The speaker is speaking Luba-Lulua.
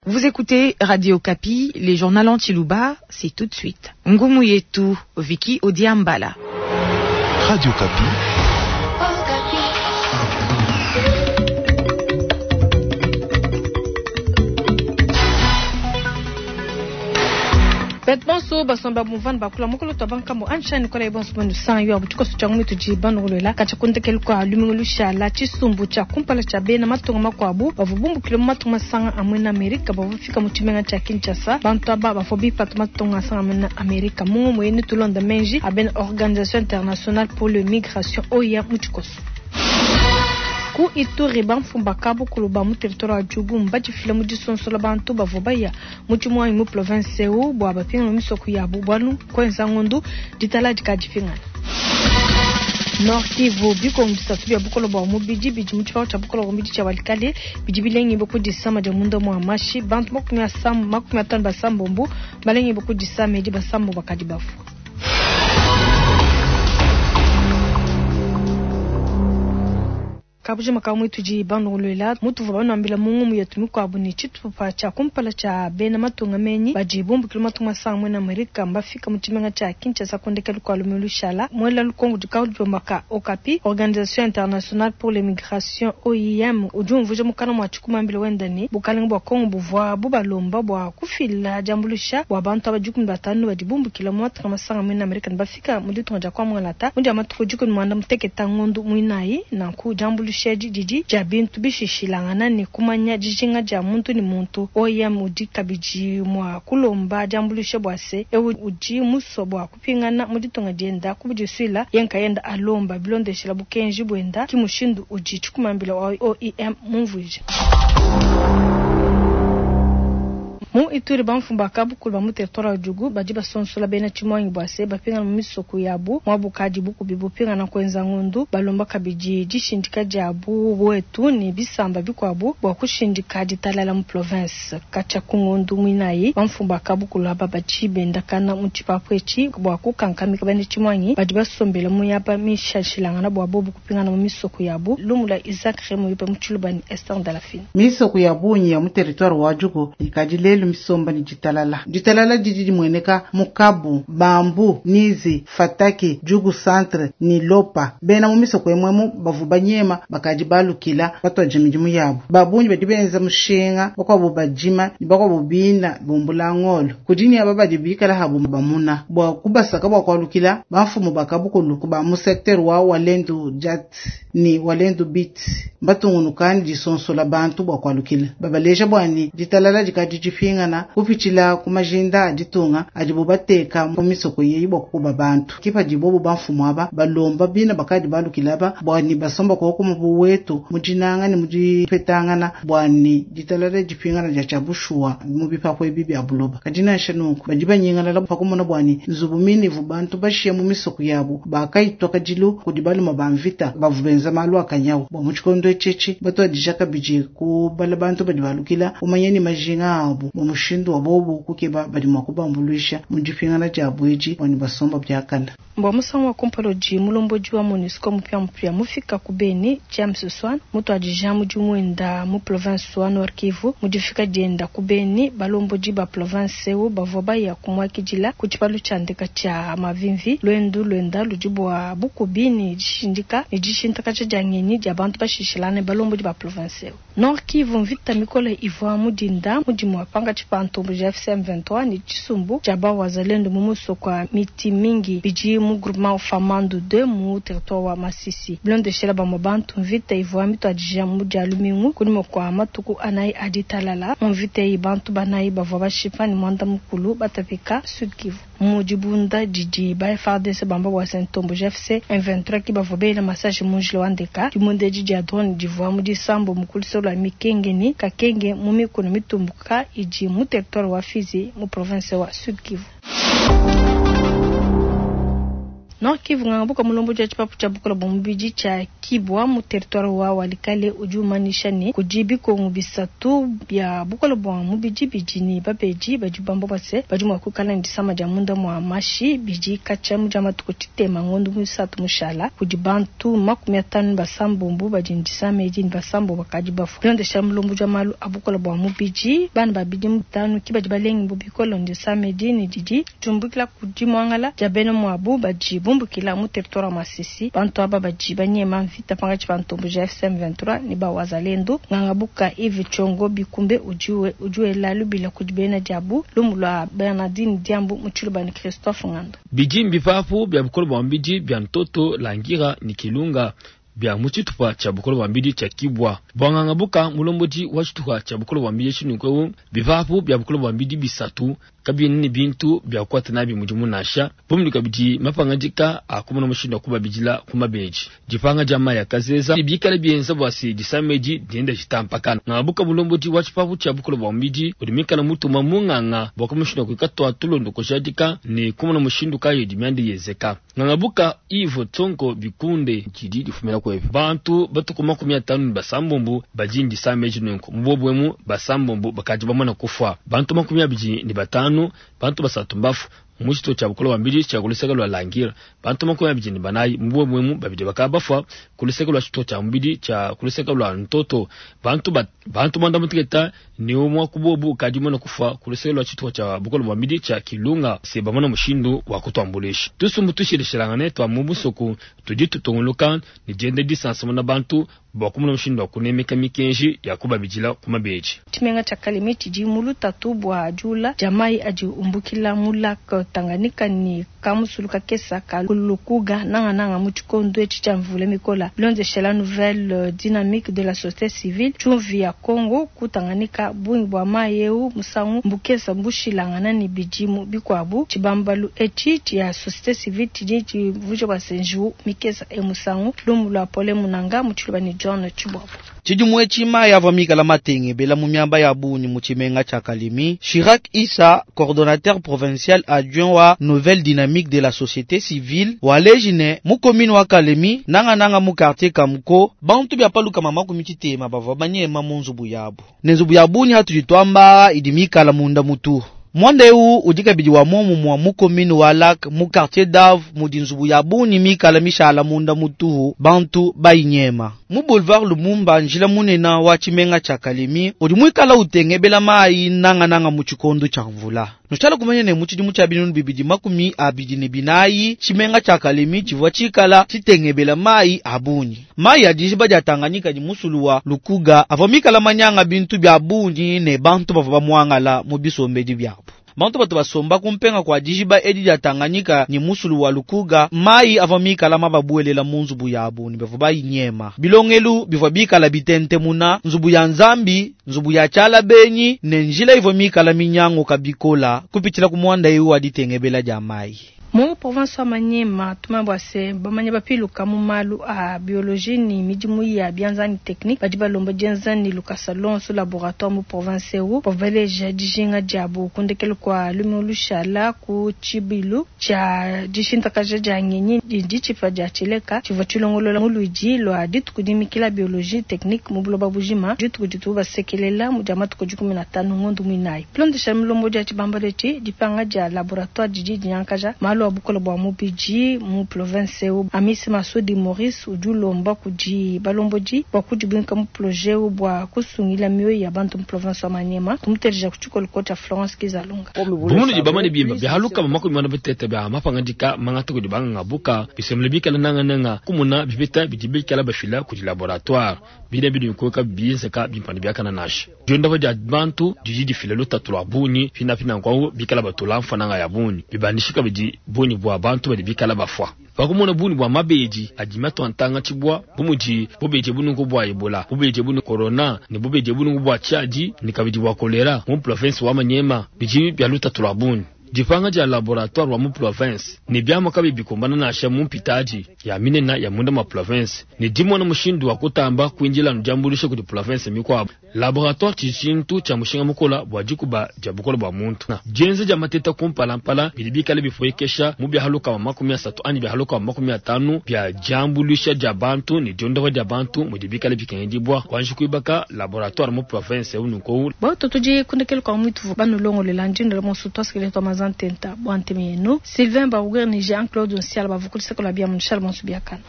Vous écoutez Radio Okapi, les journaux en tshiluba, c'est tout de suite. Ngumu yetu, Vicky Odiambala. Radio Okapi. Bantu bonso basomba bumvua bakula mukolo tua bankambo ansha nikola bonso banu san yo abutuko sucha ngumi tudi banulwela kacha kundekelu kwa lumingu lushala tshisumbu tshia kumpala tshia bena matunga makuabu bavua bumbukile mu matunga masanga a muena Amerika bavua bafika mu tshimenga tshia Kinshasa. Bantu aba bavua bipata matunga asanga muena Amerika mu ngumu yenu tulonda menji a bena Organisation Internationale pour le Migration OIM mu tshikoso. Ku Ituri, bamfumu ba kabukulu ba mu territoire wa Djugu mbadifile mu disonsola bantu bavua baya mu tshimuangi mu province eu bua bapingane mu misoko yabu bualu kuenza ngondu ditala dikadipingana. Nord Kivu, bikongo bisatu bia bukole bua mubidi bidi mu tshipangu tshia bukole bua mubidi tshia Walikale bidi bilengibue ku disama dia munda mua mashi. Bantu 55 basambombo balengibue ku disama edi, basambombo bakadi bafua. Kabujima ka muitudi banulwela mutuvua banuambila mu ngumu yetu mikuabu ne tshitupa tshia kumpala tshia bena matunga menyi badi bumbukile matunga masanga muena Amerika mbafika mu tshimenga tshia Kinshasa ku ndekelu kua lumingu lushala. Muela lukongo dikaudi ka Okapi, Organisation Internationale pour les Migrations OIM, udi umvuija mukana mua tshikumambila wenda ne bukalenge bua Kongo buvua bubalomba bua kufila diambuluisha bua bantu aba 15 badi bumbukila mu matunga masanga muena Amerika ne bafika mu ditunga dia Kwamualata mu dia matuku 16 ngondu muinayi. Nanku diambuluisha edi didi dia bintu bishishilangana ne kumanya dijinga dia muntu ne muntu. OIM udi kabidi mua kulomba diambuluisha bua se eu udi musua bua kupingana mu ditunga dienda kubudisuila ye nkayenda alomba bilondeshela bukenji buenda ki mushindu udi tshikumambila wa OIM mumvuija. Mu Ituri, bamfumu ba kabukulu ba mu territoire wa Djugu badi basonsola bena tshimuangi bua se bapingana mu misoko yabu muabu kadi bukubi bupingana kuenza ngondu. Balomba kabidi dishindika dia buwetu ne bisamba bikuabu bua kushindika ditalala mu province. Katshia ku ngondu muinayi, bamfumu ba kabukulu aba badi bendakana mu tshipapu etshi bua kukankamika bena tshimuangi badi basombela mu miaba mishilashilangana bua bobu kupingana mu misoko yabu. Lumu lua Isaac Remoyope mu Tshiluba ne Esther Ndalafina. Misoko ya bungi ya mu territoire wa Djugu ikadi lelu misomba ne ditalala. Ditalala didi dimueneka mu Kabu, Bambu, Nizi, Fataki, Djugu Centre ne Lopa. Bena mu misoko emwemu bavua banyema bakadi balukila batuadija midimu yabu. Ba bungi badi benza mushinga, bakuabu badima ne bakuabu bina bumbula ngolo. Kudi ne aba badi bikala habu bamuna bua kubasaka bua kualukila bamfumu ba kabukulu ba mu secteur wa Walendu Jat ne Walendu Bit batungunuka ne disonsola bantu bua kualukila. Babaleja bua ne ditalala dikadi dipingana kupitshila ku majinda a ditunga adibu bateka mu misoko yeyi bua kukuba bantu. Ke padi bobu bamfumu aba balomba bina bakadi balukila aba bua ne basomba koko mu buwetu mu dinanga ne mu dipetangana bua ne ditalala dipingana dia tshia bushuwa mu bipapu ebi bia buloba. Kadi nansha nunku badi banyingalala pa kumona bua ne nzubu minivu bantu bashiya mu misoko yabu bakayitwa kadilu kudi baluma ba mvita bavua benza malu a kanyawu. Bua mu tshikondo etshi batuadija kabidi kubala bantu badi balukila kumanya ne majinga abu mu mushindu wa bobu kukeba badi mua kubambuluisha mu dipingana dia edi bua ne basomba biakana. Bua musangu wa kumpala udi mulombodi wa MONUSCO mupiamupia mufika ku Beni, James Swan mutuadija mudimu wenda mu province wa Nord Kivu. Mu difika dienda ku Beni, balombodi ba province eu bavua baya kumuakidila ku tshipalu tshia ndeka tshia Mavimvi. Luendu luenda ludi bua bukubi ne dishindika ne dishintakaja dia ngenyi dia bantu bashishilane balombodi ba province eu. Nord Kivu, mvita mikole ivua mu dinda mu dimue pankatshi pa ntomboji ya AFC M23 ne tshisumbu tshia ba wazalendo mu musoko wa miti mingi bidi mu groupement Famandu 2 mu territoire wa Masisi. Bilondeshela bamue bantu, mvita ivua mituadija mu dia lumingu kunyima kua matuku anayi a ditalala. Mu mvita eyi bantu banayi bavua bashipa ne muanda mukulu batapika. Sud Kivu, mu dibunda didi ba FARDC bamba bua se ntomboji AFC M23 ki bavua bela masashi mu njila wa ndeka. Dibunda edi dia drone divua mu disambo mu kulusolo lua Mikenge ne Kakenge mu mikuna mitumbuka idi mu territoire wa Fizi mu province wa Sud Kivu. Nord Kivu, nganga buka mulombodi wa tshipapu tshia bukola bua mubidi tshia Kibwa mu territoire wa Walikale udi umanyisha ne kudi bikongu bisatu bia bukola bua mubidi bidi ne babedi badi bamba bua se badi mua kuikala ne disama dia munda mua mashi bidi katshia mu dia matuku tshitema ngondo muisatu mushala. Kudi bantu 56 badi ne disama edi ne basambo bakadi bafua. Bilondeshila mulombodi wa malu a bukola bua mubidi, bana ba bidimu 5 ki badi balengi bu bikole ne disama edi ne didi diumbukila ku dimuangala dia bena muabu badi bumbukila mu territoire wa Masisi. Bantu aba badi banyema mvita pankatshi pa ntomboji ya FCM 23 ne ba Wazalendo. Nganga buka Yves Tshiongo Bikumbe udi wela lubila kudi bena diabu lumu lua Bernardine Diambu mu Tshiluba ne Christophe Ngando. Bidi mbipapu bia bukole bua mubidi bia Ntoto Langira ne Kilunga bia mu tshitupa tshia bukole bua mubidi tshia Kibwa. Bua nganga buka mulombodi wa tshitupa tshia bukole bua mubidi tshinunkewu, bipapu bia bukole bua mubidi bisatu kabiena ne bintu bia kukwata nabi mudimu nansha. Bumudi kabidi mapangadika a kumona mushindu wa kubabidila ku mabeji. Dipanga dia mayi akazeza bikale bienza bua se disama edi dienda ditampakana. Nganga buka mulombodi wa tshipapu tshia bukole bua mubidi udi mikala mutuma munganga bua kumushindu wa kuikatwa tulondo kujadika ne kumona mushindu kayi dimianda yezeka. Nganga buka Yves Tsongo Bikunde didi difumina kwepi. Bantu batuku 56 badi ndisama edi nunku. Mu bobwemu basambombo bakadi bamana kufa. Bantu 25, bantu basatu mbafu. Mu tshitupa tshia bukole bua mubidi tshia kuluseka lua Langira. Bantu 24, mu bobwemu babidi bakabafua kuluseka lua tshitupa tshia mubidi tshia kuluseka lua Ntoto. Bantu mwanda muteketa ne umwe ku bobu kadi mwana kufa kuluseka lua tshitupa tshia bukole bua mubidi tshia Kilunga. Se bamona mushindu wa kutuambulisha. Tusumbu tushilishilangane twa mu busoku tudi tutunguluka ne dienda disansamuna bantu bua kumona mushindu wa kunemeka mikenji ya kubabidila ku mabeji. Tshimenga tshia Kalemi tshidi mu lutatu bua diula dia mayi adi umbukila mu lac Tanganyika ne kamusulu kakesa ka Lukuga nangananga mu tshikondo etshi tshia mvula mikola. Bilondeshela nouvelle dynamique de la société civile tshumvi ya Congo ku Tanganyika bungi bua mayi eu musangu mbukesa mbushilangana ne bidimu bikuabu. Tshibambalu etshi tshia société civile tshidi tshivuja bua senju mikesa e musangu lumu lua Pole Munanga mu Tshiluba ne John Tshibwabu. Tshidimu etshi mayi avua mikala matenge bela mu miaba ya bungi mu tshimenga tshia Kalemi. Chirac Issa, coordonnateur provincial adjoint wa Nouvelle Dynamique de la Société Civile, waleji ne mu commune wa Kalemi nanga nanga mu quartier Kamuko bantu bya paluka mama ku mitshitema bavua banyema mu nzubu yabu. Ne nzubu ya bungi hatudi twamba idi mikala munda mutu. Mwanda eu udi kabidi wa muomu mwa mu commune wa Lac mu quartier d'Ave mudi nzubu ya bungi mikala mishala munda mutuhu bantu bayinyema. Mu boulevard Lumumba njila munena wa tshimenga tshia Kalemi udi muikala utengebela mayi nanga nanga mu tshikondo tshia mvula. Nushala kumanya ne mu tshidimu tshia 2024 tshimenga tshia Kalemi tshivua tshikala tshitengebela mayi a bungi. Mayi a dijiba dia Tanganyika ni musulu wa Lukuga avua mikala manyanga bintu bya bungi ne bantu bavua bamuangala mu bisombedi byabo. Bantu batu basomba kumpenga kwa dijiba edi dia Tanganyika ni musulu wa Lukuga mayi avua mikala mababuelela mu nzubu yabu ne bavua bayinyema. Bilongelu bivua bikala bitentemuna nzubu ya Nzambi, nzubu ya tshiala benyi ne njila ivua mikala minyango kabikola kupitshila ku mwanda eu wa ditengebela dia mayi. Mu province wa Maniema tumambwa se bamanya bapiluka mu malu a biologie ni midimu ya bianza ni technique badi balomba dienza ni lukasa lonso laboratoire mu province eu bavaleja dijinga diabu kundekelu kwa lumu lushala ku tshibilu tshia dishintakaja dia ngenyi ditshipa dia tshileka tshivua tshilongolola mu luidi lua dituku dimikila biologie technique mu buloba bujima dituku dituku basekelela mu dia matuku 15 ngondo muinayi. Bilondesha milombo dia tshibamba letshi dipanga dia laboratoire didi dinyankaja malu wa bukola bua mubidi mu province eu. Amisi Masudi Maurice udi ulomba kudi balombodi bua kudibwinka mu projet eu bua kusungila mioyo ya bantu mu province wa Maniema. Tumuteleja ku tshikolo tshia Florence Kizalunga. Bumunu bamane bimba byahaluka makumi mana bitete bya mapangadika mangata kudi banganga buka bisemle bikala nanga nanga kumuna bipeta bidi bikala bafila kudi laboratoire bine bidi nkoka bizeka bimpani byakana nasha. Dionda dia bantu didi difila lutatu lwa bunyi fina fina kwa bikala batula mfananga ya bunyi bibandishika bidi bunyi bwa bantu badi bikala bafwa. Bakumona bunyi bwa mabeji ajimato antanga chibwa bumuji bubeje bunungu bwa Ebola bubeje bunu corona ne bubeje bunungu bwa chaji ni kabidi bwa kolera mu province wa Maniema biji bya lutatu lwa bunyi. Dipanga dia laboratoire wa mu province ne biamua kabiyi bikumbana nansha mu mpitadi ya minena ya munda mua province ne dimona mushindu wa kutamba kuindila anu diambuluisha kudi province mikuabu. Laboratoire tshidi tshintu tshia mushinga mukola bua dikuba dia bukola bua muntu. Dienza dia mateta kumpalampala bidi bikale bipuekesha mu bia 30 anyi bia 50 bia diambuluisha dia bantu ne diondopa dia bantu mudi bikale bikengedibua kuanji kuibaka laboratoire mu province eu nunku. Bautu tudi kundekelu kua muituvu banulongolela ndindela monso tuasikile tua mazantenta bua ntemi yenu Sylvain Bauger ne Jean Claude Nsiala bavukuliseko la bia munshala monso biakana.